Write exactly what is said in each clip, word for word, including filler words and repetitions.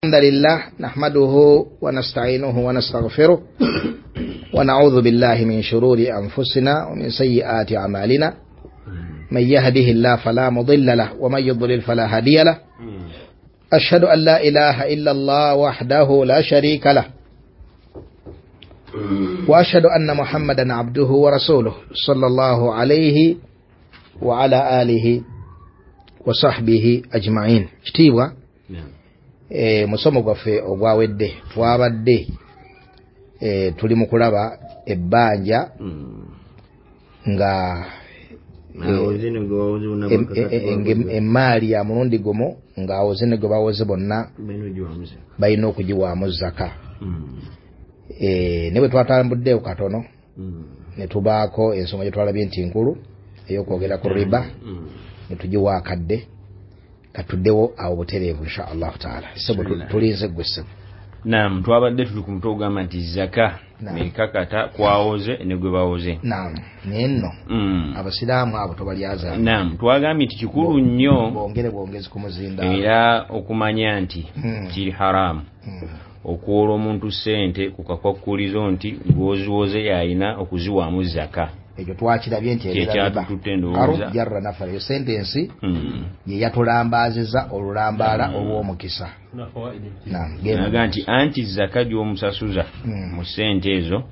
الحمد لله نحمده ونستعينه ونستغفره ونعوذ بالله من شرور أنفسنا ومن سيئات أعمالنا، من يهده الله فلا مضل له ومن يضلل فلا هادي له، أشهد أن لا إله إلا الله وحده لا شريك له، وأشهد أن محمدا عبده ورسوله صلى الله عليه وعلى آله وصحبه أجمعين. Kitiibwa e, musomo gwaffe ogwawedde twabadde e, tuli mu kulaba ebbanja nga emmaali ya mulundi gumu ng'awoze ne gwe bawoze bonna balina okugiwaamu zaka. E, ne bwe twatambuddeewo katono ne tubaako ensonga gye twalabye nti nkulu ey'okwogera ku riba ne tugiwa akadde katuddewo awo butereevu insha Allahu taala. Ssebo tulinze ggwe ssebo. Naam, twabadde tuli ku mutwe ogamba nti zaka ekakata kwawoze ne gwe bawoze. Naam, naye nno abasiraamu abo tobalyaza. Naam, twagambye nti kikulu nnyo bongere bwongezi ku muzinda era okumanya nti kiri haramu okuwola omuntu ssente ku kakwakkulizo nti gw'oziwoze yalina okuziwaamu zaka. Ekyo twakirabye nti ebyatutte jarra nafara, eyo sentensi ye yatulambaazizza olulambaala olw'omukisa. Naga nti anti zaka gy'omusasuza mu ssente ezo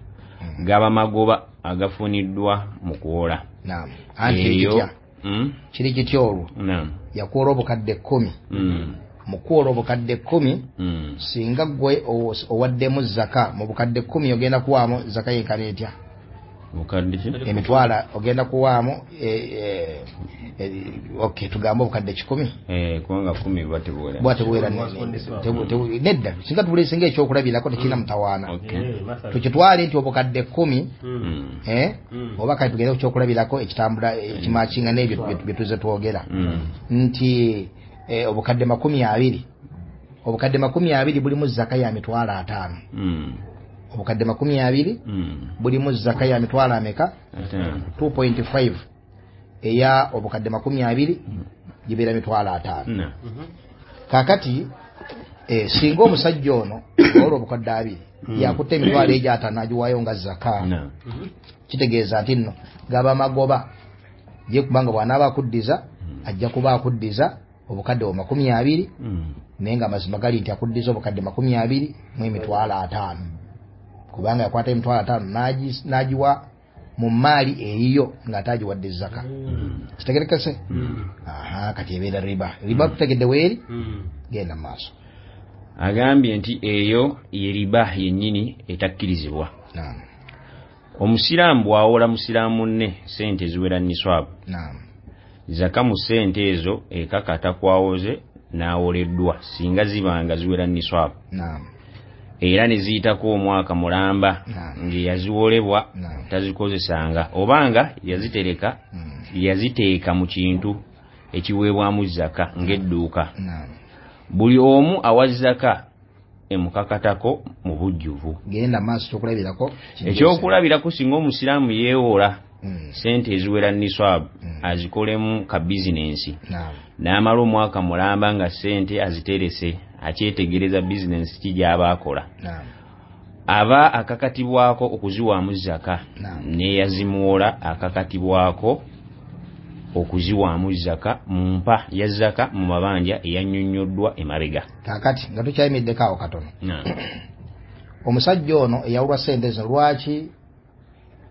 gaba magoba agafuniddwa mu kuwola. Naam, anti kitya kiri kitya olwo yakuwola obukadde kkumi, mu kuwola obukadde kkumi singa ggwe owaddemu zaka mu bukadde kkumi ogenda kuwaamu zaka yenkana etya? Emitwalo ogenda kuwaamu okay, tugambe obukadde kikumi kubanga kumi buba tebuwera buba tebuwera nedda, singa tubuleesinga ekyokulabirako tekirina mutawaana, tukitwale nti obukadde kkumi oba kale tugende ku kyokulabirako ekitambula ekimakinga n'ebyo bye tuzze twogera nti obukadde makumi abiri obukadde makumi abiri bulimu zaka ya mitwalo ataano. Obukadde makumi abiri bulimu zaka ya mitwalo ameka? two point five eya obukadde makumi abiri gibeera mitwalo ataano. Kaakati eh, singa omusajja ono olwo obukadde abiri yakutte emitwalo egyo ataano agiwaayo nga zaka, kitegeeza nti nno gaba magoba ye, kubanga bw'anaaba akuddiza ajja kuba akuddiza obukadde bwa makumi abiri, naye nga amazima gali nti akuddiza obukadde makumi abiri mu emitwalo ataano, kubanga yakwata emitwalo ataano n'agiwa mu mmaali eyiyo ng'ate agiwadde zaka. Kitegerekese? Aha, kati ebeera riba. Riba tutegedde weeri, genda mu maaso. Agambye nti eyo ye riba yennyini etakkirizibwa. Omusiraamu bw'awola musiraamu munne ssente eziwera niswabu, zaka mu ssente ezo ekakata kwawoze n'awoleddwa singa zibanga ziwera niswabu, era ne ziyitako omwaka mulamba ng'eyaziwolebwa tazikozesanga obanga yazitereka yaziteeka mu kintu ekiweebwamu zaka ng'edduuka. Buli omu awa zaka emukakatako mu bujjuvu. Genda maaso kyokulabirako. Ekyokulabirako singa omusiraamu yeewola ssente eziwera niswabu azikolemu ka bizinensi n'amala omwaka mulamba nga ssente aziterese akyetegereza bizinensi ki gy'aba akola, aba akakatibwako okuziwaamu zaka, n'eyazimuwola akakatibwako okuziwaamu zaka mu mpa ya zaka mu mabanja eyannyonnyoddwa emabega. Kaakati nga tukyayimiddeko awo katono, omusajja ono eyawulwa ssente zino lwaki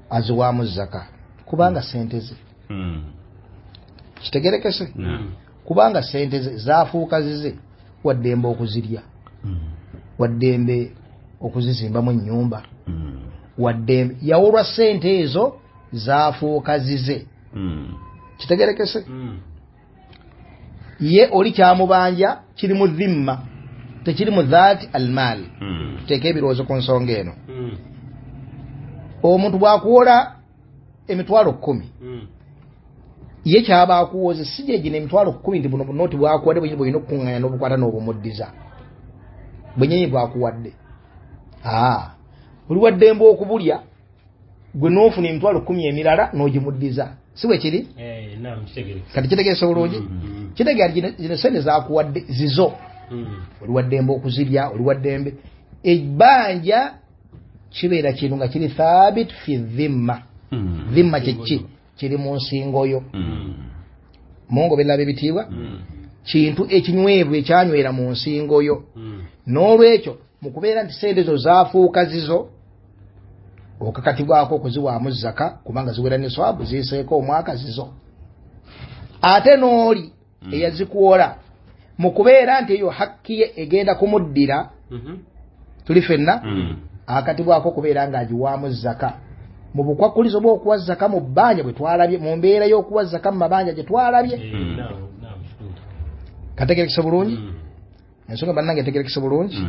aziwaamu zaka? Kubanga ssente ze. Kitegerekese? Kubanga ssente ze zaafuuka zize, waddembe okuzirya, waddembe okuzizimbamu ennyumba, waddembe yawulwa ssente ezo zaafuuka zize. Kitegerekese? Ye oli kyamubanja kiri mu dhimma, tekiri mu dhaati almaal. Tuteeke ebirowoozo ku nsonga eno. Omuntu bw'akuwola emitwalo kkumi, ye kyaba akuwoze si gye gino emitwalo kkumi nti buno bunooti bwakuwadde bwenyini bw'olina okukuŋŋaanya n'obukwata n'obumuddiza bwennyini bwakuwadde. Aa, oli waddembe okubulya gwe n'ofuna emitwalo kkumi emirala n'ogimuddiza, si bwe kiri? Kati kitegeesa bulungi? Kitegeera zino ssente zaakuwadde zizo, Oli waddembe okuzirya, oli waddembe. Ebbanja kibeera kintu nga kiri thabit fi dhimma. Dhimma kyeki kiri mu nsingo yo. Mungo bella bebitiibwa kintu ekinywevu ekyanywera mu nsingo yo. N'olwekyo mu kubeera nti sente zo zaafuuka zizo, okakatibwako okuziwaamu zaka kubanga ziwera niswabu, ziyiseeko omwaka zizo. Ate n'oli eyazikuwola mu kubeera nti eyo hakki ye egenda kumuddira, tuli ffenna, akatibwako okubeera ng'agiwaamu zaka. Mu bukwakulizo bw'okuwa zaka mu bbanja bwe twalabye, mu mbeera y'okuwa zaka mu mabanja gye twalabye. Kategerekese bulungi? Ensonga bannange etegerekese bulungi?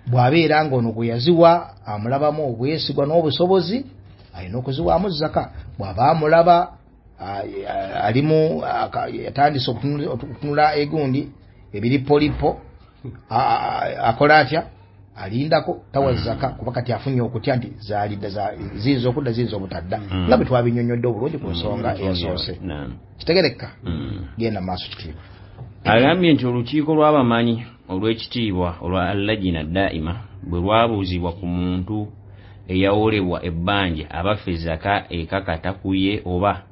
Bw'abeera ng'ono gwe yaziwa amulabamu obwesigwa n'obusobozi, alina okuziwaamu zaka. Bw'aba amulaba alimu yatandise okutunula egundi ebiripolipo, akola atya? Alindako tawa zaka, kuba kati afunye okutya nti zaalidda, ziyinza okudda, ziyinza obutadda, nga bwe twabinnyonnyodde obulungi ku nsonga eyasoose. Kitegereka? Genda mu maaso kitiibwa. Agambye nti olukiiko lw'abamanyi olw'ekitiibwa olwa Allajina Daima bwe lwabuuzibwa ku muntu eyawolebwa ebbanja abaffe zaka ekakata ku ye oba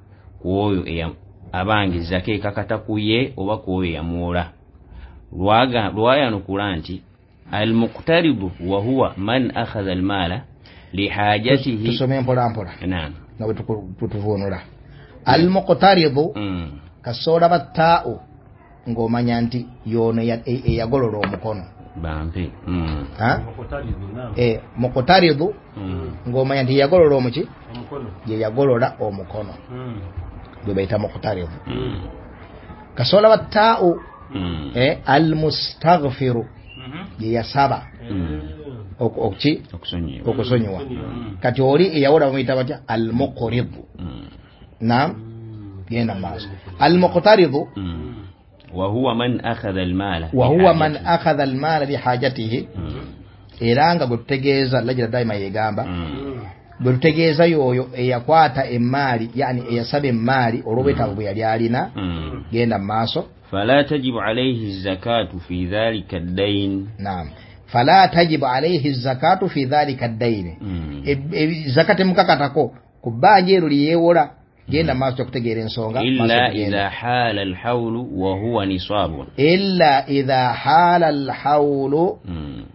ku oyo abange zaka ekakata ku ye oba ku oyo eyamuwola, lwayanukula nti al-muqtaridu wa huwa man akhadha al-mala lihajatihi. Tusome mpola mpola. Naam. Nga bwe tuvuunula al-muqtaridu, kasoola battaa'u ng'omanya nti y'ono eyagolola omukono bampe. Muqtaridu ng'omanya nti yagolola omuki, ye yagolola omukono, gwe bayita muqtaridu. Kasoola battaa'u al-mustaghfiru, ye yasaba okuki okusonyiwa. Kati oli eyawola bamuyita batya? Al-muqridu. Naam, genda maaso. Al-muqtaridu wa huwa man akhadha al-mala, wa huwa man akhadha al-mala lihajatihi. Era nga gwe tutegeeza Lajina Daima yegamba, gwe tutegeeza y'oyo eyakwata emmaali, yani eyasaba emmaali olw'obwetaavu bwe yali alina. Genda mu maaso. Fala tajibu alayhi zakatu fi dhalika ad-dayn. Naam, fala tajibu alayhi zakatu fi dhalika ad-dayn. Zakati mukakatako ku bbanja eryo lye yeewola. Genda maaso okutegeera ensonga. Illa idha hala al-hawlu wa huwa nisabun. Illa idha hala al-hawlu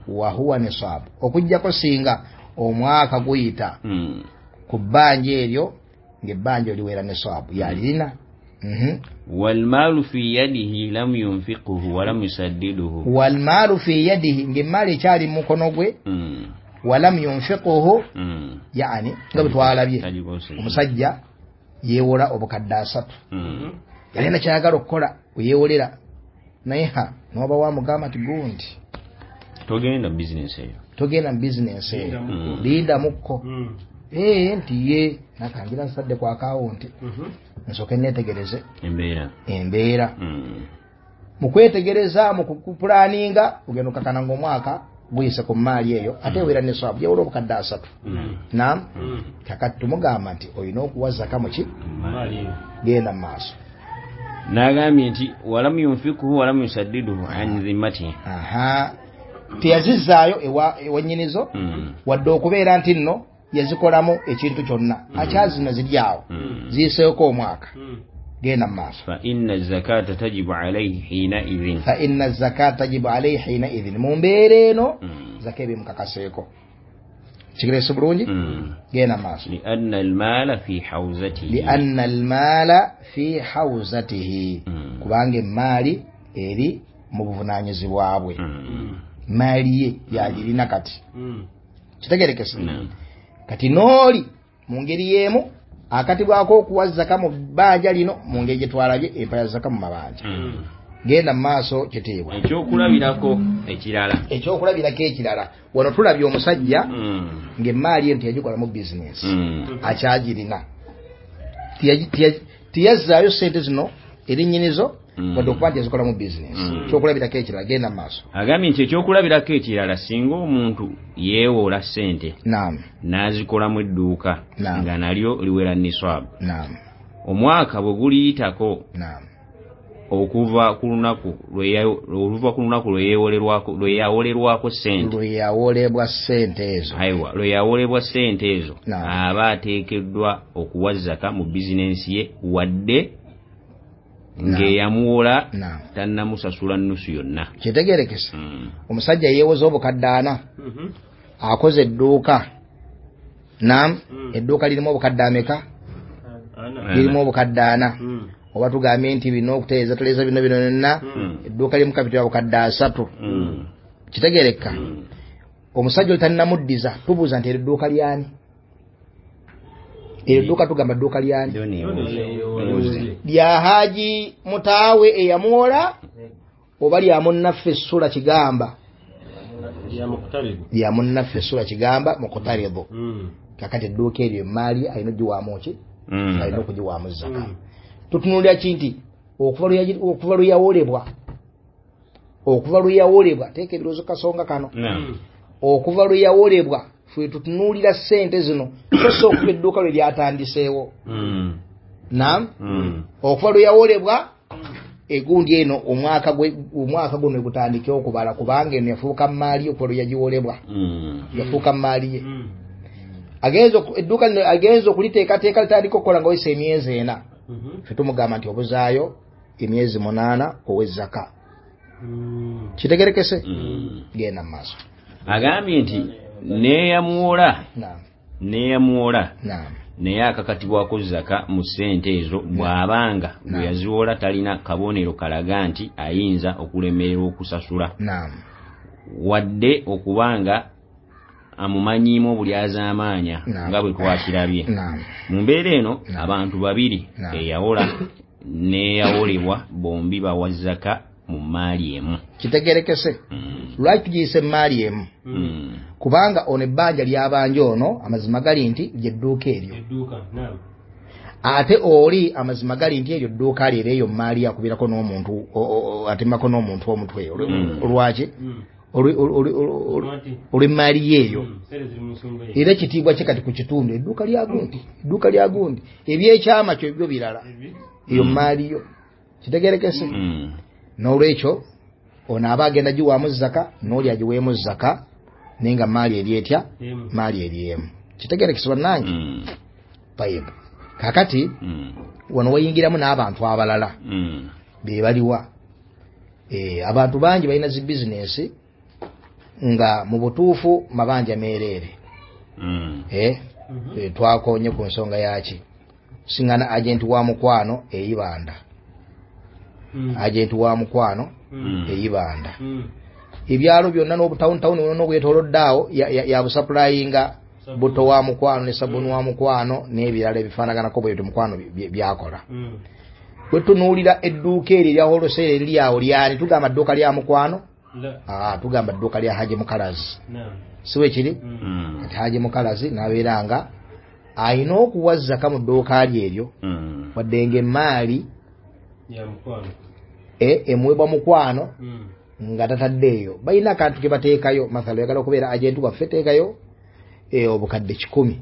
wa huwa nisab, okujjako singa omwaka guyita ku bbanja eryo ng'ebbanja liwera nisaabu yalirina. Walmalu fi yadihi lam yunfiquhu wa lam yusaddiduhu. Walmalu fi yadihi, ng'emmaali ekyali mu mukono gwe, walam yunfiquhu, yani nga bwe twalabye omusajja yeewola obukadde asatu, yalina kyayagala okukola weyeewolera, naye ha n'oba wamugamba nti gundi togenda bizinensi eyo, togenda mu bizinensi eyo, lindamukko. Ee nti ye nakangira nsadde ku akawunti nsooke neetegereze embeera embeera. Mu kwetegereza, mu kupulaninga, ogenda okakana ng'omwaka guyise ku mmaali eyo, ate ewera niswabu, yeewola obukadde asatu. Naam, kakati tumugamba nti olina okuwa zaka muki, genda mu maaso. N'agambye nti walam yunfikuhu walam yusaddiduhu an dhimmatihi. Aha, teyazizzaayo ewa nnyinizo, wadde okubeera nti nno yazikolamu ekintu kyonna, akyazina ziri awo, ziyiseeko omwaka. Genda mu maaso. Fa inna zakata tajibu alayhi hina idhin. Fa inna zakata tajibu alayhi hina idhin, mu mbeera eno zaka ebimukakaseeko. Kigerese bulungi? Genda mu maaso. Lianna almaala fi hawzatihi. Lianna almaala fi hawzatihi, kubanga emmaali eri mu buvunaanyizibwa bwe, maali ye yagirina kati. Kitegerekese? Kati n'oli mu ngeri y'emu akatibwako okuwa zaka mu bbanja lino mu ngeri gye twalabye empa ya zaka mu mabanja. Genda mu maaso kitiibwa. Ekyokulabirako ekirala. Ekyokulabirako ekirala, wano tulabye omusajja ng'emmaali eno teyagikolamu bizinensi, akyagirina, teyazzaayo ssente zino eri nnyinizo, wadde okuba nti yazikolamu bizinensi. Ekyokulabirako ekirala, genda mu maaso. Agambye nti ekyokulabirako ekirala, singa omuntu yeewola ssente n'azikolamu edduuka nga nalyo liwera niswabu, omwaka bwe guliyitako Okuva ku lunaku lwe ku lunaku lwe yawolerwako ssente lwe yawolebwa ssente ezo aiwa lwe yawolebwa ssente ezo aba ateekeddwa okuwa zaka mu bizinensi ye wadde ng'eyamuwola tannamusasula nnusu yonna. Kitegeerekese. Omusajja yeewoza obukadde ana, akoze edduuka, nam edduuka lirimu obukadde ameka? Lirimu obukadde ana. Oba tugambye nti bino okutereeza teleeza bino bino byonna, edduuka limu kapito ya bukadde asatu. Kitegeereka. Omusajja oli tannamuddiza, tubuuza nti eryo dduuka lyani? Eryo dduuka tugamba dduuka lyani? Lya Haji Mutaawe eyamuwola oba lya munnaffe Sula Kigamba? Lya munnaffe Sula Kigamba Mukutaribu. Kakati edduuka eryo emaali alina okugiwaamu ki? Alina okugiwaamu zaka. Tutunuulira ki nti okuva lwe yawolebwa, okuva lwe yawolebwa, teeka ebirowoozo kasonga kano, okuva lwe yawolebwa ffe tutunuulira ssente zino so si okuva edduuka lwe lyatandiseewo. Naam, okuva lwe yawolebwa egundi eno omwaka omwaka guno gutandike okubala, kubanga eno yafuuka mmaali okuva lwe yagiwolebwa, yafuuka mmaali ye. Agenza edduuka lino agenza okuliteekateeka litandika okukola nga wayise emyezi ena. Ffe tumugamba nti obuzaayo emyezi munaana ow'ezzaka. Kitegerekese? Genda mu maaso. Agambye nti neeyamuwola neeyamuwola naye akakatibwako zaka mu ssente ezo bw'abanga bwe yaziwola talina kabonero kalaga nti ayinza okulemererwa okusasula, wadde okubanga amumanyiimu obulyazaamaanya nga bwe twakirabye. Mu mbeera eno abantu babiri eyawola n'eyawolebwa bombi bawa zaka mu mmaali emu. Kitegerekese. Lwaki tugiyise emmaali emu? Kubanga ono ebbanja lyabanja ono amazima gali nti ly'edduuka eryo, ate oli amazima gali nti eryo dduuka lye eyo mmaali akubirako n'omuntu atemako n'omuntu omutwe. Lwaki? Olw'emmaali ye eyo. Era ekitiibwa kye kati ku kitundu, edduuka lya gundi, edduuka lya gundi, ebyekyama kyo byo birala, eyo mmaali yo. Kitegerekese? N'olwekyo ono aba agenda giwaamu zaka n'oli agiweemu zaka, naye nga maali eri etya? Maali eri emu. Kitegerekese bannange? Tayibu. Kaakati wano wayingiramu n'abantu abalala be baliwa. Abantu bangi balina zi bizinensi nga mu butuufu mabanja meereere. Twakonye ku nsonga yaki? Singana agenti wa mukwano eyibanda. Agenti wa mukwano eyibanda. Ebyalo byonna n'obutawuni wonna obwetoolodde awo yabusapulayinga buto wa mukwano ne sabuni wa mukwano n'ebirala ebifaanaganako bwe bityo mukwano byakola. Bwe tunuulira edduuka eryo erya wholesale eriri awo lyani? Tugamba dduuka lya mukwano? Tugamba dduuka lya Haji Mukalazi. Si bwe kiri? Kati Haji Mukalazi n'abeera nga alina okuwa zaka mu dduuka lye eryo, wadde ng'emmaali emuweebwa mukwano nga tataddeeyo. Balina akantu ke bateekayo, mathala oyagala okubeera agenti waffe teekayo obukadde kikumi,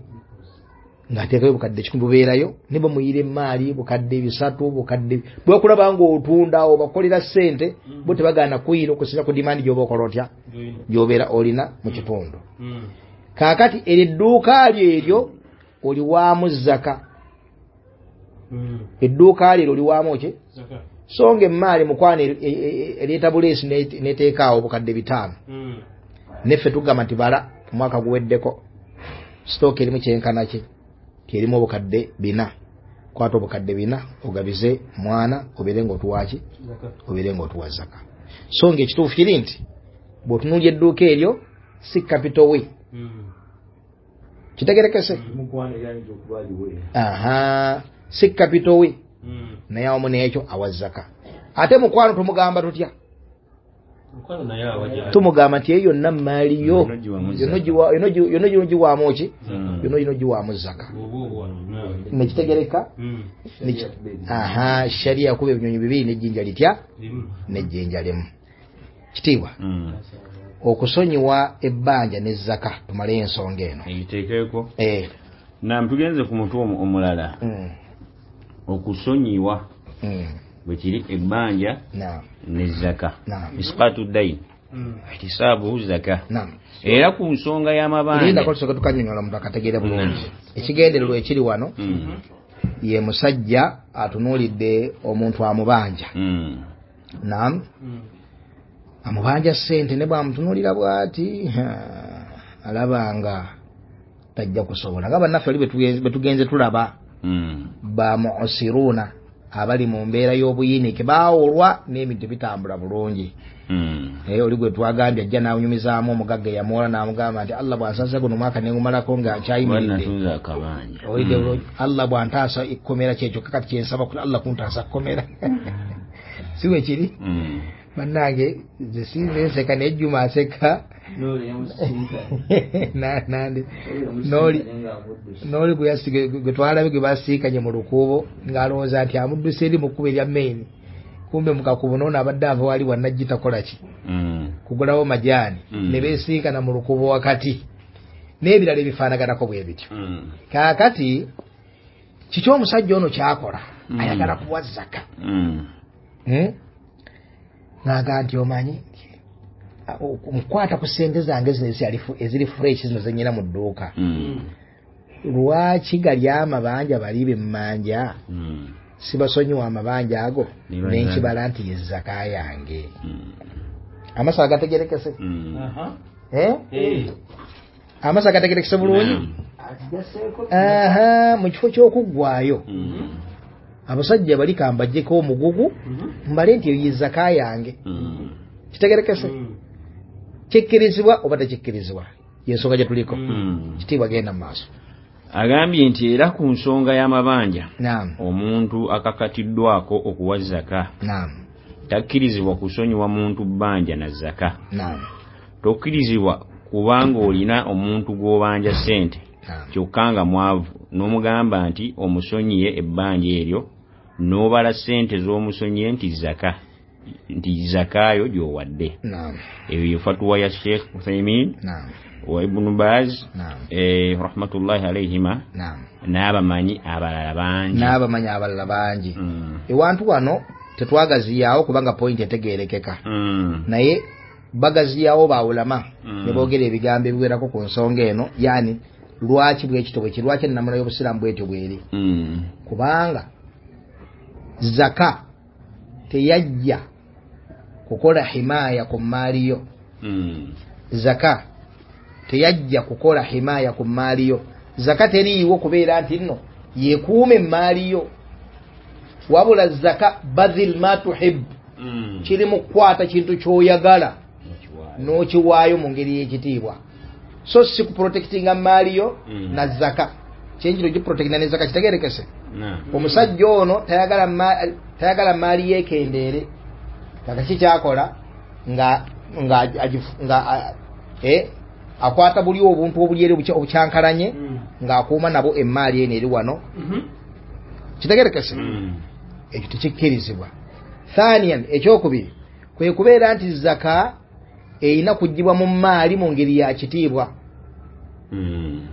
ng'ateekayo obukadde kikumi bubeerayo, ne bamuyira emmaali bukadde bisatu, bukadde bwekulaba ng'otunda obakolera ssente, bo tebagaana kuyira okusinza ku dimandi gy'oba okola otya gy'obeera olina mu kitundu. Kaakati eryo edduuka lyo eryo oliwaamu zaka. Edduuka lyo oliwaamu ki? So nga emmaali mukwano ereeta buleesi n'eteekaawo obukadde bitaano, neffe tugamba nti bala omwaka guweddeko sitooka erimu kyenkana ki erimu obukadde bina, kwata obukadde bina ogabize mwana obeere ng'otuwa ki? Obeere ng'otuwa zaka. So nga ekituufu kiri nti bw'otunuulya edduuka eryo si kapito we. Kitegerekese? Aha, si kapito we, naye awamu n'ekyo awa zaka. Ate mukwano tumugamba tutya? Tumugamba nti eyo yonna mmaali yo, yonna gino giwaamu ki? Yonna gino giwaamu zaka. Nekitegereka? Aha, sharia yakuba ebinyonyi bibiri n'ejjinja litya? N'ejjinja limu. Kitiibwa okusonyiwa ebbanja ne zaka, tumale ensonga eno egiteekeko. Nam tugenze ku mutwe omulala, okusonyiwa Bwe kiri ebbanja ne zaka. Isqatu dayn ihtisabuhu zaka. Era ku nsonga y'amabanja linda tusooke tukanyonyola omuntu akategeere bulungi. Ekigendererwa ekiri wano ye musajja atunuulidde omuntu amubanja. Naam. Amubanja ssente ne bw'amutunuulira bw'ati alaba nga tajja kusobola. Nga bannaffe oli bwe tugenze tulaba ba mu'siruna abali mu mbeera y'obuyinike baawolwa n'ebintu bitambula bulungi. Naye oli gwe twagambye ajja n'anyumizaamu omugagga eyamuwola n'amugamba nti Allah bw'ansaasa guno omwaka ne ngumalako nga nkyayimiridde, Allah bw'antaasa ekkomera kyekyo kakati kye nsaba Allah kuntaasa kkomera. Si bwe kiri? Bannange nze sinze nseka naye Juma aseka. N'oli gwe twalabye gwe basiikanye mu lukuubo ng'alowooza nti amudduse eri mu kkubo erya main, kumbe mu kakubo n'ono abadde ava wali wannajji takola ki kugulawo majaani, ne beesiikana mu lukuubo wakati n'ebirala ebifaanaganako bwe bityo. Kaakati kiki omusajja ono ky'akola? Ayagala kuwa zaka. N'agamba nti omanyi nkwata ku ssente zange zino eziri fresh zino ze nnyina mu dduuka, lwaki gali amabanja bali be mmanja sibasonyiwa amabanja ago ne nkibala nti ye zaka yange. Amaaso agategerekese? Amaaso agategerekese bulungi? Aha, mu kifo ky'okuggwayo abasajja bali kambajjeko omugugu mbale nti eyo ye zaka yange. Kitegerekese? Kikkirizibwa oba tekikkirizibwa? Y'ensonga gye tuliko. Kitiibwa genda mu maaso. Agambye nti era ku nsonga y'amabanja omuntu akakatiddwako okuwa zaka takkirizibwa kusonyiwa muntu bbanja na zaka. Tokkirizibwa kubanga olina omuntu gw'obanja ssente kyokka nga mwavu n'omugamba nti omusonyiye ebbanja eryo n'obala ssente z'omusonyiye nti zaka nti zakaayo gy'owadde. Eyo ye fatuwa ya Sheikh Uthaymin wa Ibn Baz eh, rahmatullahi alayhima n'abamanyi abalala bangi n'abamanyi abalala bangi. Ewantu wano tetwagaziyaawo kubanga point etegeerekeka, naye bagaziyawo bawulama ne boogera ebigambo ebiwerako ku nsonga eno, yani lwaki bwekito bwe kiri, lwaki ennamula y'obusiraamu bwetyo bweri. Kubanga zaka teyajja kukola himaya ku mmaali yo. Zaka teyajja kukola himaya ku mmaali yo. Zaka teriiwo kubeera nti nno yekuuma emmaali yo, wabula zaka badhil ma tuhib, kiri mu kukwata kintu ky'oyagala n'okiwaayo mu ngeri y'ekitiibwa, so si kuprotectinga mmaali yo na zaka. Kyenjiro giprotectinga ne zaka kitegerekese. Omusajja ono tayagala tayagala mmaali yeekendeere, kakaki kyakola nga nga nga eh akwata buli obuntu obuli eri obukyankalanye ng'akuuma nabo emmaali eno eri wano. Kitegerekese? Ekyo tekikkirizibwa. Thaniyan, ekyokubiri kwe kubeera nti zaka erina kuggyibwa mu mmaali mu ngeri ya kitiibwa.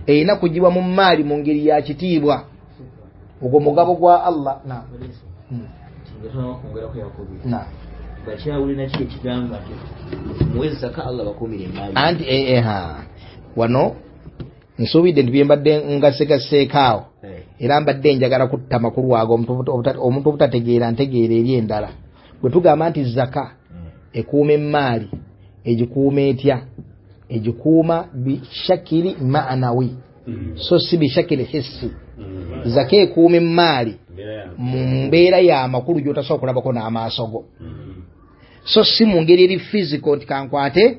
Erina kuggyibwa mu mmaali mu ngeri ya kitiibwa. Ogwo mugabo gwa Allah. Na anti eha wano nsuubidde nti bye mbadde ngasegaseeko awo, era mbadde njagala kutta makulu ago omuntu obutategeera ntegeera eri endala. Bwe tugamba nti zaka ekuuma emmaali, egikuuma etya? Egikuuma bishakiri ma'anawi, so si bishakiri hissi. Zaka ekuuma emmaali mu mbeera y'amakulu gy'otasobola kulabako n'amaaso go, so si mu ngeri eri physical nti kankwate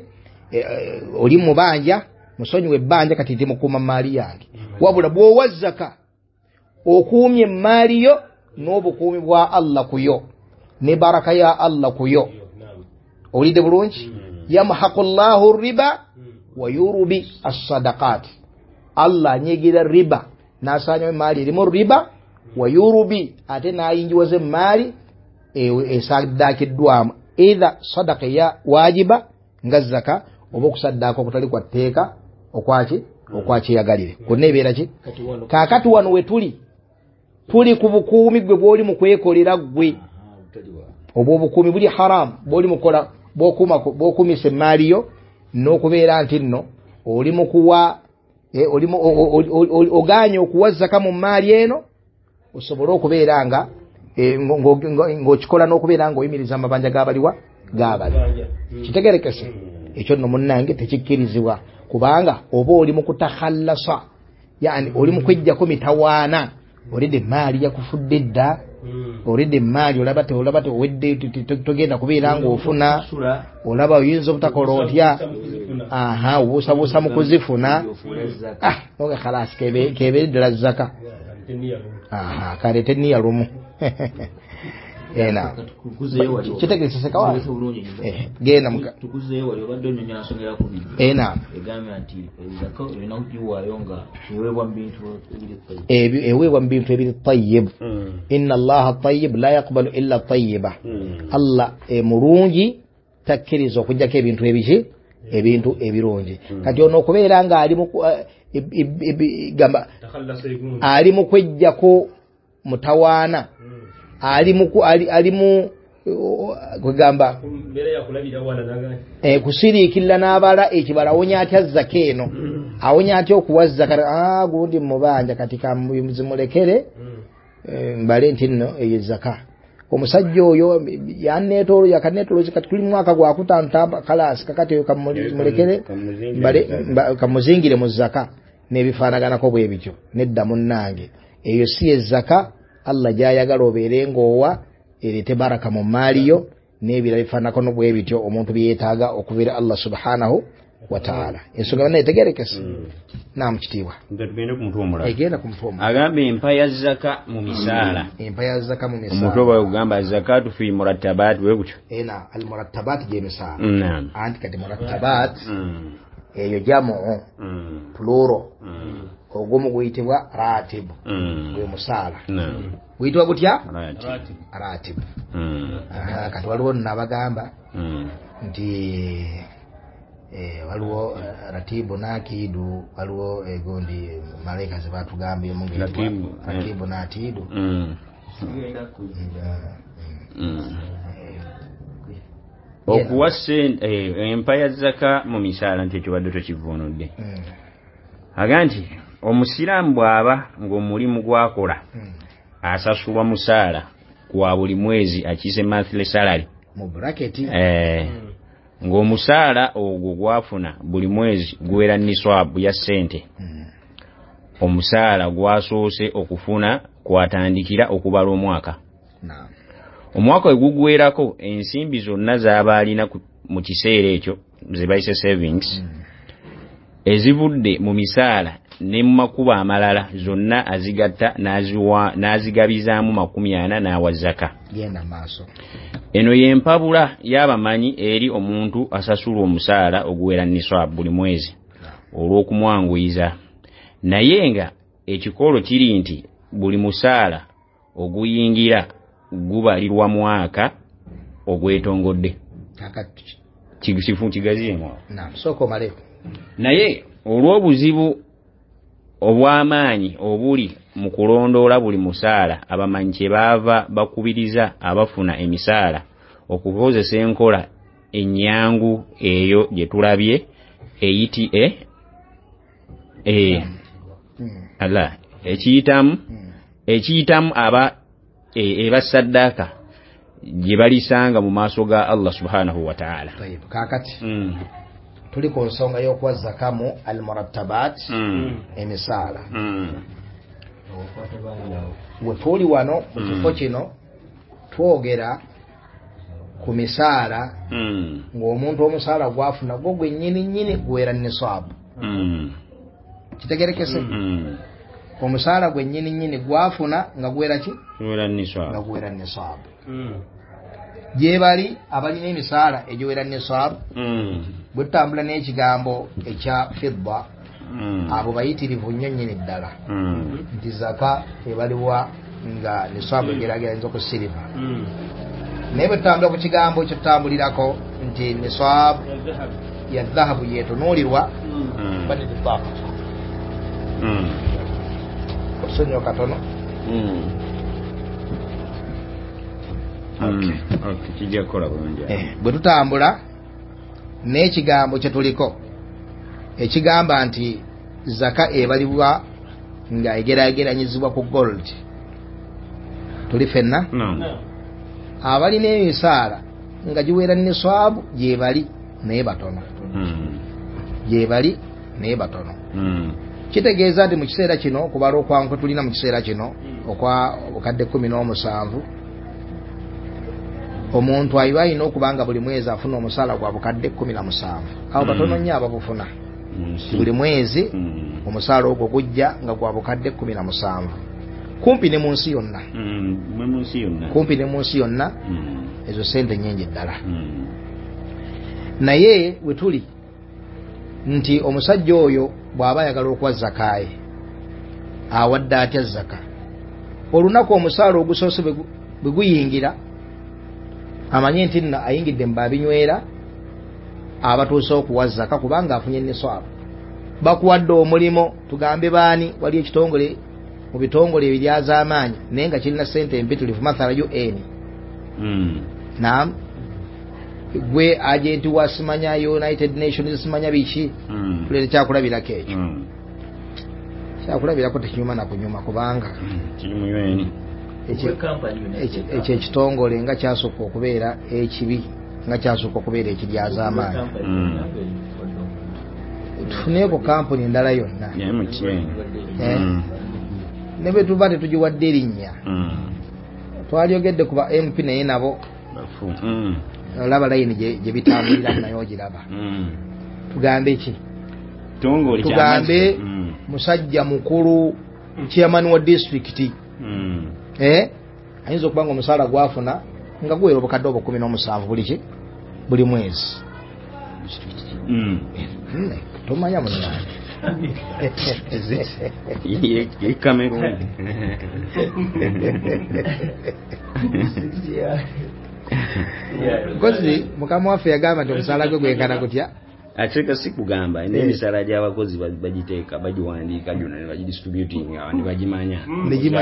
oli mubanja musonyiwe ebbanja kati ndi mukuuma mmaali yange. Wabula bw'owa zaka okuumye emmaali yo n'obukuumi bwa Allah ku yo ne baraka ya Allah ku yo. Owulidde bulungi? Yamhaqu llahu riba wa yurubi as-sadaqat. Allah anyigira riba n'asaanyawo emmaali erimu riba, wa yurubi ate n'ayingiwaza emmaali esaddakiddwamu, either sadaka ya wajiba nga zaka oba okusaddaaka okutali kwa tteeka okwaki okwakyeyagalire kwonna ebeera ki. Kaakati wano we tuli tuli ku bukuumi gwe bw'oli mu kwekolera ggwe. Obwo obukuumi buli haramu bw'oli mukola bw'okuumisa emaali yo n'okubeera nti nno oli mu kuwa oganye okuwa zaka mu maali eno osobole okubeera nga ng'okikola n'okubeera ng'oyimiriza amabanja g'abaliwa g'abali. Kitegerekese ekyo nno munnange tekikkirizibwa kubanga oba oli mu kutakhallasa, yani oli mu kweggyako mitawaana. Olidde emaali yakufudde dda, olidde emaali olaba olaba owedde togenda kubeera ng'ofuna, olaba oyinza obutakola otya, aha obuusabuusa mu kuzifuna, ah oga khalasi kebeere ddala zaka, aha kaleete nniya lumu. Ena kitegeresese kawa genda muka tukuzeeyo wali obadde onnyonnyola nsonga ya kubiri. Ena egambye nti zaka olina okugiwaayo nga eweebwa mu bintu ebiri tayyib, eweebwa mu bintu ebiri tayyib. Inna Allaha tayyib la yaqbalu illa tayyiba. Allah mulungi takkiriza okuggyako ebintu ebiki ebintu ebirungi. Kati ono okubeera nga ali mu gamba ali mu kweggyako mutawaana, ali mu ali mu kugamba eh kusiriikirira n'abala ekibala awonya atya zaka eno, awonya atya okuwa zaka, ah gundi mubanja kati kamuzimulekere mbale nti nno eyo zaka. Omusajja oyo yanneetoolo yakanneetoolozi kati tuli mwaka gwa kutaano kalasi kakati oyo kamulekere mbale kamuzingire mu zaka n'ebifaanaganako bwe bityo. Nedda munnange, eyo si ezaka Allah gy'ayagala obeere ng'owa ereete baraka mu maali yo n'ebirala bifaananako bwe bityo omuntu bye yeetaaga okubeera Allah subhanahu wa ta'ala. Ensonga yonna etegerekese. Naamu kitiibwa. Tugende ku mutwe omulala. Egenda ku mutwe omulala. Agamba empa ya zaka mu misaala. Empa ya zaka mu misaala. Omutwe bwe gugamba zakatu fi murattabat bwe gutyo. Ena al murattabat gy'emisaala. Naam. Anti kati murattabat eyo jamu plural. Ogumu guyitibwa ratib. Gwe musaala. Guyitibwa gutya? Ratib. Kati waliwo nno abagamba nti waliwo ratibu n'akiidu, waliwo egundi malayika ze batugambyemu ng'eyitibwa ratibu n'atiidu. Okuwa empa ya zaka mu misaala nti ekyo badde tokivvuunudde. Aga nti omusiraamu bw'aba ng'omulimu gw'akola asasulwa musaala kwa buli mwezi akiyise monthly salary mu bracket, eh ng'omusaala ogwo gwafuna buli mwezi guwera niswabu ya ssente. Omusaala gwasoose okufuna kwatandikira okubala omwaka. Omwaka we gugwerako ensimbi zonna z'aba alina mu kiseera ekyo ze bayise savings ezivudde mu misaala ne mu makubo amalala zonna azigatta n'azigabizaamu makumi ana n'awa zaka. Genda maaso. Eno y'empabula y'abamanyi eri omuntu asasulwa omusaala oguwera niswab buli mwezi olw'okumwanguyiza. Naye nga ekikolo kiri nti buli musaala oguyingira gubalirwa mwaka ogwetongodde. Kifu kigaziemu awo. Naam, sooka omaleko. Naye olw'obuzibu obw'amaanyi obuli mu kulondoola buli musaala, abamanyi kye baava bakubiriza abafuna emisaala okukozesa enkola ennyangu eyo gye tulabye eyiti e e ala ekiyitamu ekiyitamu aba eba saddaaka gye balisanga mu maaso ga Allah subhanahu wa ta'ala. Kaakati tuli ku nsonga y'okuwa zaka mu al-murattabat emisaala. We tuli wano mu kifo kino twogera ku misaala ng'omuntu omusaala gwafuna gwo gwennyini nnyini guwera nisaabu. Kitegerekese? Omusaala gwennyini nnyini gwafuna nga guwera ki? Guwera nisaabu. Nga guwera nisaabu. Gye bali abalina emisaala egiwera nisaabu bwe tutambula n'ekigambo ekya fidda abo bayitirivu nnyo nnyini ddala nti zaka ebaliwa nga nisaabu egeraageranyizibwa ku siriva. Naye bwe tutambula ku kigambo ekyo tutambulirako nti nisaabu ya dhahabu yeetunuulirwa badde otusonyiwa katono. Okay. Okay, kijja kukola bulungi. Eh, bwe tutambula n'ekigambo kye tuliko ekigamba nti zaka ebalibwa nga egeraageranyizibwa ku gold, tuli ffenna? No. Abalina emisaala nga giwera niswabu gye bali naye batono. Mm. Gye bali naye batono. Mm. Kitegeeza nti mu kiseera kino okubala okwangu tulina mu kiseera kino okwa obukadde kkumi n'omusanvu, omuntu ayiba alina okuba nga buli mwezi afuna omusaala gwa bukadde kkumi na musanvu. Abo batono nnyo ababufuna. Buli mwezi omusaala ogwo gujja nga gwa bukadde kkumi na musanvu, kumpi ne mu nsi yonna. Kumpi ne mu nsi yonna ezo sente nnyingi ddala. Naye we tuli nti omusajja oyo bw'aba ayagala okuwa zakaaye awadde atya zaka? Olunaku omusaala ogusoose bwe guyingira amanye nti nno ayingidde mu babinywera abatuuse okuwa zaka kubanga afunye niswabu. Bakuwadde omulimu, tugambe baani, wali ekitongole mu bitongole ebiryazaamaanyi naye nga kirina ssente empitirivu, mathala U N. Mm. Naam, gwe agenti wa simanya United Nations simanya biki, mm. tuleete kyakulabirako ekyo. Mm. Kyakulabirako tekinyuma na kunyuma kubanga mm. kiri mu U N. Ekyo ekitongole nga kyasooka okubeera ekibi, nga kyasooka okubeera ekiryazaamaanyi. Mm. Tufuneeko kampuni endala yonna. Yeah, mm. Ne bwe tuba tetugiwadde erinnya. Mm. Twalyogedde ku ba M P naye nabo mm. olaba layini gye bitambuliramu naye ogiraba. Mm. Tugambe ki? Tugambe mm. musajja mukulu chairman wa district. Mm. Eh? Ayinza okuba nga omusaala gwafuna nga guwera obukadde obwo kkumi n'omusanvu buli ki? Buli mwezi. Mm. Mm. Tomanya munnange. Ye Cameroon. Nkozi mukama waffe yagamba nti omusaala gwe gwenkana gutya? Ateeka si kugamba n'emisaala gy'abakozi bagiteeka bagiwandiika gyonna ne bagidistributinga ne bagimanya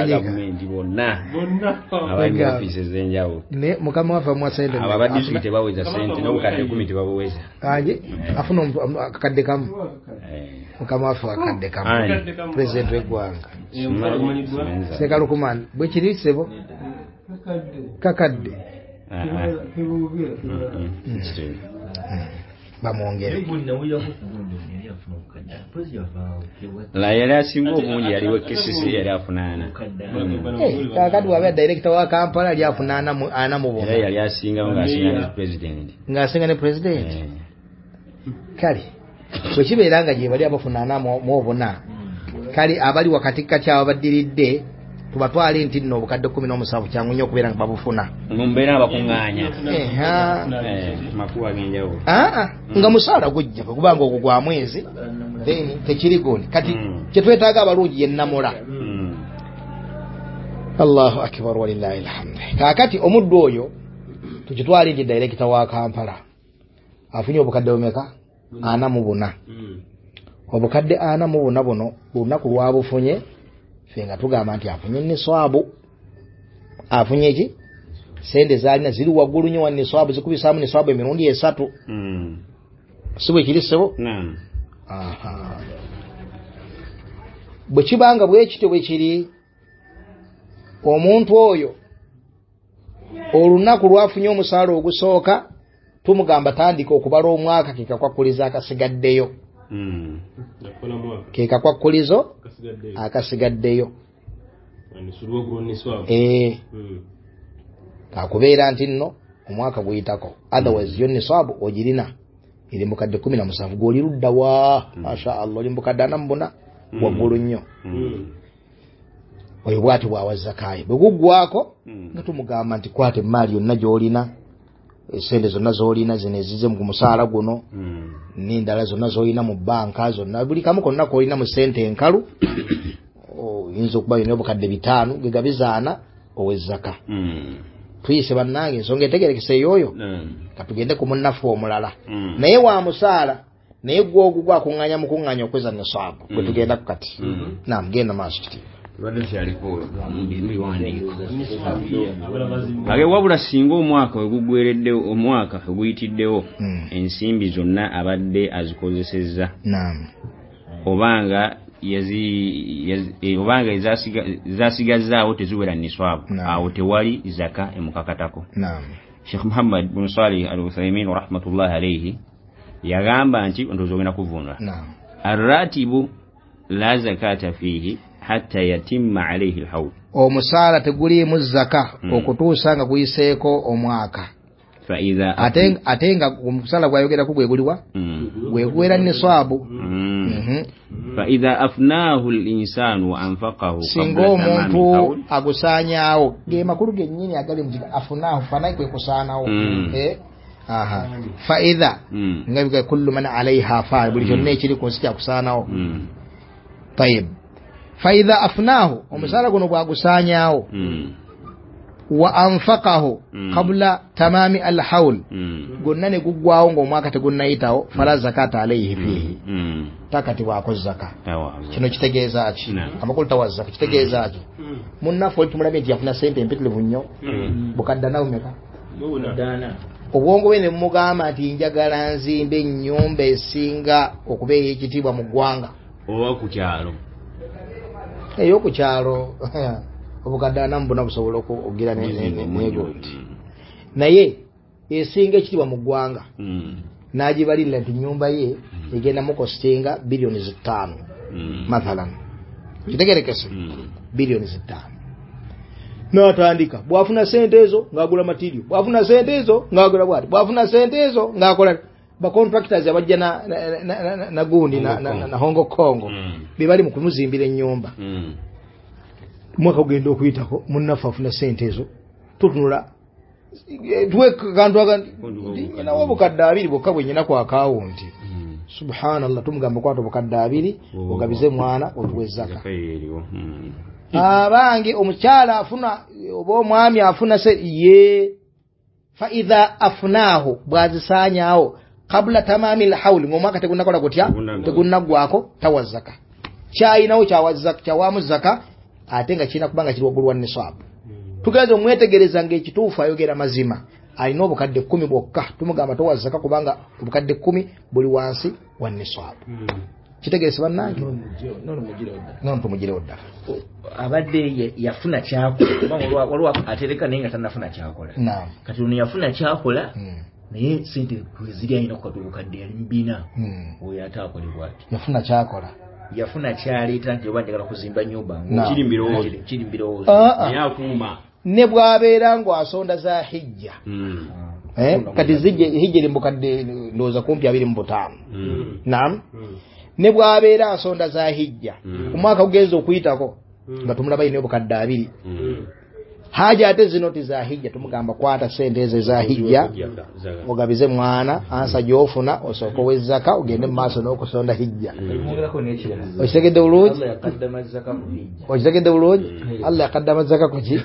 gavumenti bonna abali mu ofiisi ez'enjawulo. Ne mukama waffe amuwa ssente abo aba disitulikiti tebaweza ssente n'obukadde kkumi tebabuweza. Angi afuna akakadde kamu. Mukama waffe akakadde kamu. Pulezidenti w'eggwanga Sekalukumani bwe kiri ssebo kakadde bamwongere. La yali asinga obungi yaliwo K C C yali afuna ana. Kakati bw'abeera director wa Kampala yali afuna ana mu buna. Era yali asingawo ng'asinga ne president. Ng'asinga ne president. Kale bwe kibeera nga gye bali abafuna ana mu obuna, kale abali wakati kati ababaddiridde tubatwale nti nno obukadde kkumi n'omusanvu kyangu nnyo okubeera nga babufuna. Mu mbeera abakuŋŋaanya. Makubo ag'enjawulo. Aa, nga musaala gujja kubanga ogwo gwa mwezi then tekiri goni. Kati kye twetaaga abalungi ye nnamula. Allahu akbar walillahi alhamd. Kaakati omuddu oyo tukitwale nti director wa Kampala afunye obukadde bumeka? Ana mu buna. Obukadde ana mu buna buno lunaku lwabufunye ffe nga tugamba nti afunye niswabu. Afunye ki? Sente zaalina ziri waggulu nnyo wa niswabu, zikubisaamu niswabu emirundi esatu. Mm. Si bwe kiri ssebo? Naam. Aha. Bwe kibanga bwe kityo bwe kiri, omuntu oyo olunaku lwafunye omusaala ogusooka tumugamba tandika okubala omwaka ke kakwakulizo akasigaddeyo. Mm. Ke kakwakulizo akasigaddeyo. Eh. Kakubeera nti nno omwaka guyitako, otherwise yo niswabu ogirina eri mukadde kkumi na musanvu gw'oli ludda wa masha Allah oli mukadde ana mu buna waggulu nnyo. Oyo bw'ati bw'awa zakaayi bwe guggwako nga tumugamba nti kwata emaali yonna gy'olina, esente zonna z'olina zino ezize mu musaala guno n'endala zonna z'olina mu bbanka zonna buli kamu konna k'olina mu ssente enkalu oyinza okuba yonna obukadde bitaano ge gabizaana ow'ezzaka. Tuyise bannange ensonga etegerekese ey'oyo katugende ku munnaffe omulala naye wa musaala naye gwe ogwo gwakuŋŋaanya mukuŋŋaanya okweza nisaabu gwe tugenda ku kati. Naam, genda maaso kitiibwa. Age wabula singa omwaka wegugwereddewo omwaka oguyitiddewo Mm. ensimbi zonna abadde azikozesezza Naam. obanga yazi yazi- eh, obanga ezasiga- zasigazaawo teziwera niswabu Naam. awo tewali zaka emukakatako. Naam. Sheikh Muhammad bin Salih Al-Uthaymin rahmatullahi alayhi yagamba nti ndowooza ogenda kuvvuunula Naam. arratibu la zakata fihi hatta yatimma alayhi alhawl Omusaala teguliimu zaka Mm. okutuusa nga guyiseeko omwaka. fa idha Ate ate nga omusaala gwayogerako gwe guliwa Mm. gwe guwera niswabu. Mm. Mhm. fa idha afnahu al-insanu wa anfaqahu Singa qabla tamami omuntu alhawl agusaanyaawo ge makulu gennyini agali mu kiga afunaahu fanayi kwe kusaanawo. Mm. Eh? Aha. Fa idha Mm. nga biga kullu man alaiha fa buli kyonna ekiri ku nsi kyakusaanawo. Mm. Tayib. Fa idha afnaahu omusaala guno bwagusaanyaawo Mm. wa anfaqahu Mm. qabla tamami alhawl Mm. gonna ne guggwawo ng'omwaka tegunnayitawo fala zakata alaihi fihi Mm. takatibwako zaka. Tawa. Kino kitegeeza ki? Naam. Amakulu tawa zaka kitegeeza ki? Munnaffe oli tumulabye nti yafuna sente empitirivu nnyo Mm. bukadde nawumeka Dana. obwongo bwe ne mugamba nti njagala nzimbe ennyumba esinga okuba ey'ekitiibwa mu ggwanga oba ku kyalo ey'oku kyalo obukadde ana mu buna busobola oku- okugira ne- ne- ne- n'egold Mm. naye esinga ekitiibwa mu ggwanga Mm. n'agibalirira nti nnyumba ye egenda mukostinga biliyoni zitaano Mm. mathalan kitegerekese Mm. biliyoni zitaano n'atandika bw'afuna sente ezo ng'agula material bw'afuna sente ezo ng'agula bwati bw'afuna sente ezo ng'akola bacontractors abajja na, na, na, na, na gundi na, na, na, na Hong Kong Mm. be bali mu kumuzimbira ennyumba Mm. omwaka gugenda okuyitako munnaffe afuna sente ezo tutunula eh, tuwe kantu aka nyinawo obukadde abiri bwokka bwe nyina ku akawunti Mm. subhanallah tumugamba kwata obukadde abiri ogabize mwana otuwe zaka Zaka eriwo. Mm. abange omukyala afuna oba omwami afuna se ye fa idha afnaahu bwazisaanyaawo qabla tamami lhauli ng'omwaka tegunnakola gutya Tegunnaggwako. tegunnaggwako tawa zaka kyayinawo kyawa zaka kyawaamu zaka ate nga kirina kuba nga kiri waggulu wa nisaabu tugenze omwetegereza ng'ekituufu ayogera mazima alina obukadde kkumi bwokka tumugamba towa zaka kubanga obukadde kkumi buli wansi wa nisaabu kitegerese bannange Nono mugirewo ddala. nono tumugirewo ddala Abadde ye- yafuna kyakola kubanga waliwo- waliwo atereka naye nga tannafuna kyakola. naam Kati ono yafuna kyakola Mm. naye sente kweziri alina kukata obukadde yali mu bina Mm. oyo ate akolebwa ati yafuna kyakola yafuna kyaleeta nti oba njagala kuzimba nyumba Naam. Kiri mu birowoozo. kiri mu birowoozo Ah, ah. Naye akuuma. ne bw'abeera ng'asonda za hijja Mm. eh? kati zijja hijja eri mu bukadde ndowooza kumpi abiri mu butaano Mm. naam ne bw'abeera asonda za hijja Mm. omwaka gugenza okuyitako nga tumulaba yina obukadde abiri Mm. haja ate zino ti za hijja tumugamba kwata sente ezo eza hijja Zaka. Zaka. ogabize mwana ansa gy'ofuna osooke owe zaka ogende mu maaso n'okusonda hijja Mwongerako n'ekirala okitegedde bulungi Allah yakaddama zaka ku hijja okitegedde bulungi allah yakaddama zaka kuki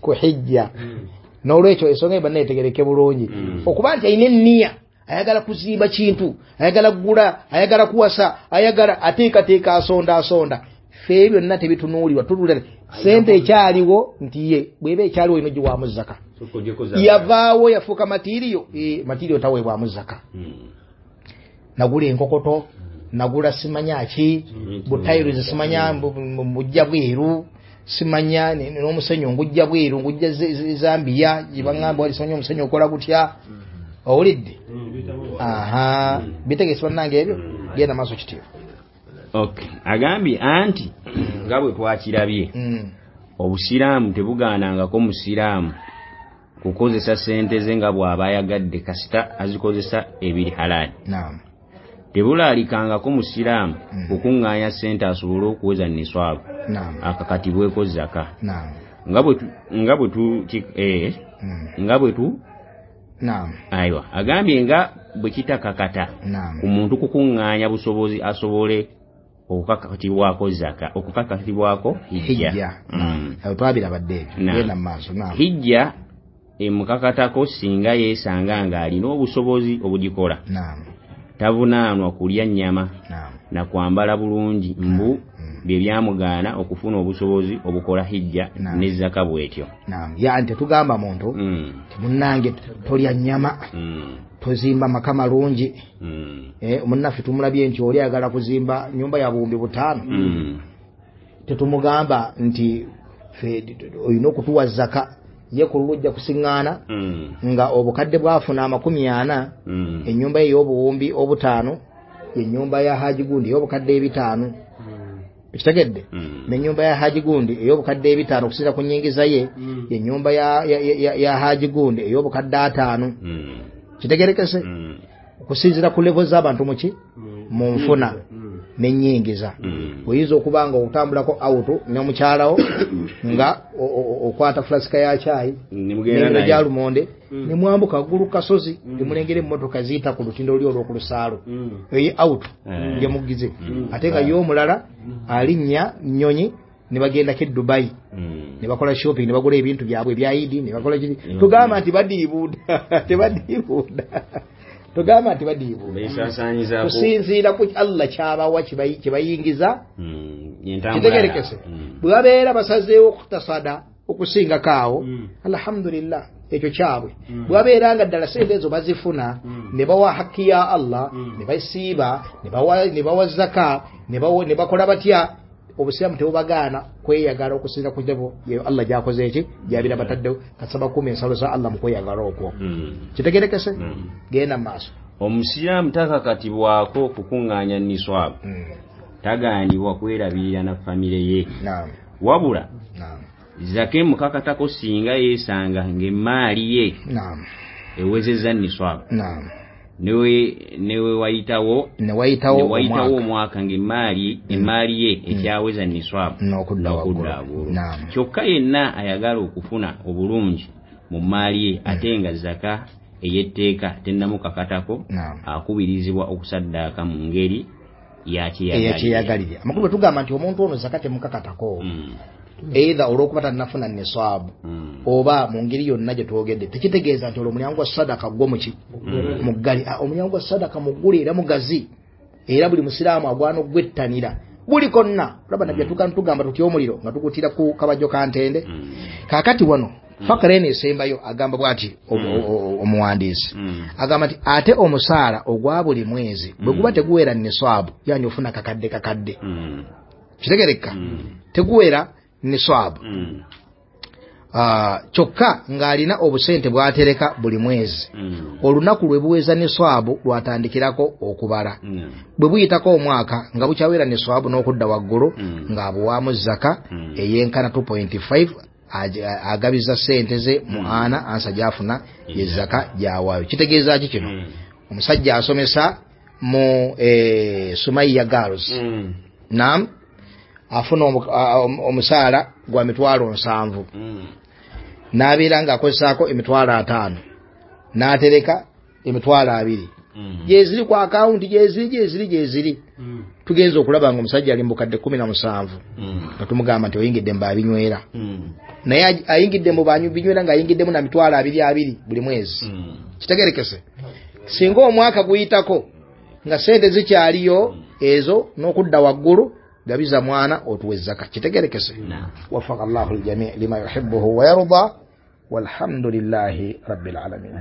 ku hijja n'olwekyo ensonga eyo banna etegereke bulungi Mm. okuba nti alina enniya ayagala kuzimba kintu ayagala kugula ayagala kuwasa ayagala ateekateeka asonda asonda ffe ebyo byonna tebitunuulirwa tutuulira sente ekyaliwo nti ye bw'eba ekyaliwo ino giwaamu zaka Sooka ogyeko zaka. yavaawo yafuuka matiriyo Eh, matiriyo taweebwamu zaka Mm. nagula enkokoto nagula simanya ki butayiro simanya mbujja bweru simanya ne- n'omusenyu ngujja bweru ngujja ze- ze- Zambia gye baŋŋamba wali simanya omusenyu okola gutya owulidde aha bitegeese bannange ebyo genda maaso kitiibwa Okay. Agambye anti nga bwe twakirabye Mm. obusiraamu tebugaanangako musiraamu kukozesa sente ze nga bw'aba ayagadde kasita azikozesa ebiri halaali naam tebulaalikangako musiraamu Mm. kukuŋŋaanya sente asobole okuweza niswabu naam akakatibweko zaka naam nga bwe tu- nga bwe tu ki- eh, Mm. nga bwe tu naam aiwa agambye nga bwe kitakakata naam ku muntu kukuŋŋaanya busobozi asobole okukakatibwako zaka okukakatibwako hijja hijja Mm. awo twabirabadde ebyo Naam. genda mu maaso naam hijja emukakatako singa yeesanga ng'alina obusobozi obugikola naam tavunaanwa kulya nnyama naam na kwambala bulungi mbu Mm. Bye byamugaana okufuna obusobozi obukola hijja ne zaka bwetyo. Naam, yani tetugamba muntu mm. munnange tolya nnyama mm. tozimba maka malungi mm. eh, munnaffe tumulabye nti oli ayagala kuzimba nyumba ya buwumbi butaano mm. tetumugamba nti olina okutuwa zaka ye ku lujja kusiŋŋaana mm. nga obukadde bwafuna amakumi ana mm. ennyumba ye ey'obuwumbi obutaano ennyumba ya Haji Gundi ey'obukadde ebitaano Mm. ekitegedde Mm. n'ennyumba ya Haji Gundi ey'obukadde ebitaano okusinziira ku nnyingiza ye Mm. ennyumba ya, ya, ya, ya Haji Gundi ey'obukadde ataano Mm. kitegerekese Mm. okusinziira ku level z'abantu muki Mm. mu nfuna Mm. n'ennyingiza Mm. oyinza okuba nga otambulako auto n'omukyalawo nga o- o- okwata fulasika ya caayi Nemugenda n'emiro naye. gya lumonde Mm. ne mwambuka ggulu kasozi Mm. ne mulengera emmotoka ziyita ku lutindo luli olw'okulusaalo Mm. eyo auto Eh. gye mugize Mm. ate nga ye omulala alinnya nnyonyi ne bagendako e Dubai Mm. ne bakola shopping ne bagula ebintu byabwe ebya Idi ne bakola kiri Mm. tugamba nti badiibuuda tebadiibuuda tugamba nti badiibuuda Beesaasaanyizaako. kusinziira ku Allah kyabawa kibayi- kibayingiza Mm. Entambula kitegerekese yaabwe. Mm. bwe babeera basazeewo okutasada okusingako awo Mm. alhamdulillah ekyo kyabwe Mm. bwe babeera nga ddala sente ezo bazifuna Mm. ne bawa haki ya Allah Mm. ne basiiba ne bawa ne bawa zaka ne bawa ne bakola batya obusiraamu tebubagaana kweyagala okusinziira ku level ye Allah gy'akoze eki gy'abeera bataddewo kasaba kuuma ensalo za Allah mu kweyagala okwo Mm. kitegerekese Mm. genda mu maaso Omusiraamu takakatibwako kukuŋŋaanya niswabu Mm. tagaanibwa kwerabirira na famire ye Naam. wabula Naam. zaka emukakatako singa yeesanga ng'emmaali ye Naam. ewezezza niswabu Naam. newe newe wayitawo Ne wayitawo ne wayitawo omwaka omwaka ng'emmaali emmaali ye ekyaweza niswabu n'okudda waggulu. waggulu Naam. kyokka yenna ayagala okufuna obulungi mu mmaali ye ate nga zaka ey'etteeka tennamukakatako Naam. akubirizibwa okusaddaaka mu ngeri ya kyeyagalire. Eyakiyagalire. Amakulu bwe tugamba nti omuntu ono zaka temukakatako Mm. either olw'okuba tannafuna niswabu Mm. oba mu ngeri yonna gye twogedde tekitegeeza nti olwo omulyango gwa sadaka gwo muki muggali. Ah, omulyango gwa sadaka muggule era mugazi era buli musiraamu agwana okugwettanira buli konna olaba nabbi atuuka ntugamba tutya omuliro nga tugutira ku kabajjo ka ntende Mm. kaakati wano fakara eno esembayo agamba bw'ati o- o- o- omuwandiisi Mm. agamba nti ate omusaala ogwa buli mwezi bwe guba teguwera niswabu yani ofuna kakadde kakadde Mm. kitegereka Mm. teguwera niswabu Mm. Ah, kyokka ng'alina obusente bw'atereka buli mwezi Mm. olunaku lwe buweza niswabu lwatandikirako okubala Mm. bwe buyitako omwaka nga bukyawera niswabu n'okudda waggulu Mm. ng'abuwaamu zaka Mm. eyenkana two point five ag- agabiza sente ze mu ana ansa gy'afuna ye zaka gy'awaayo kitegeeza ki kino Mm. omusajja asomesa mu eh, Sumaiya Girls Mm. naam afuna omu- a- a- omusaala gwa mitwalo nsanvu Mm. n'abeera ng'akozesaako emitwalo ataano n'atereka emitwalo abiri Mm. gyeziri ku akawunti gyeziri gyeziri gyeziri Mm. tugenza okulaba nga omusajja ali mu bukadde kkumi na musanvu Mm. nga tumugamba nti oyingidde mu babinywera Mm. naye aj- ayingidde mu binywera ng'ayingiddemu na mitwalo abiri abiri buli mwezi Mm. kitegerekese singa omwaka guyitako nga sente zikyaliyo ezo n'okudda waggulu gabiza mwana otuwe zaka kitegerekese Naam. wafaka Allahu ljamii lima yuhibbuhu wa yarda walhamdulillahi rabbil alamin.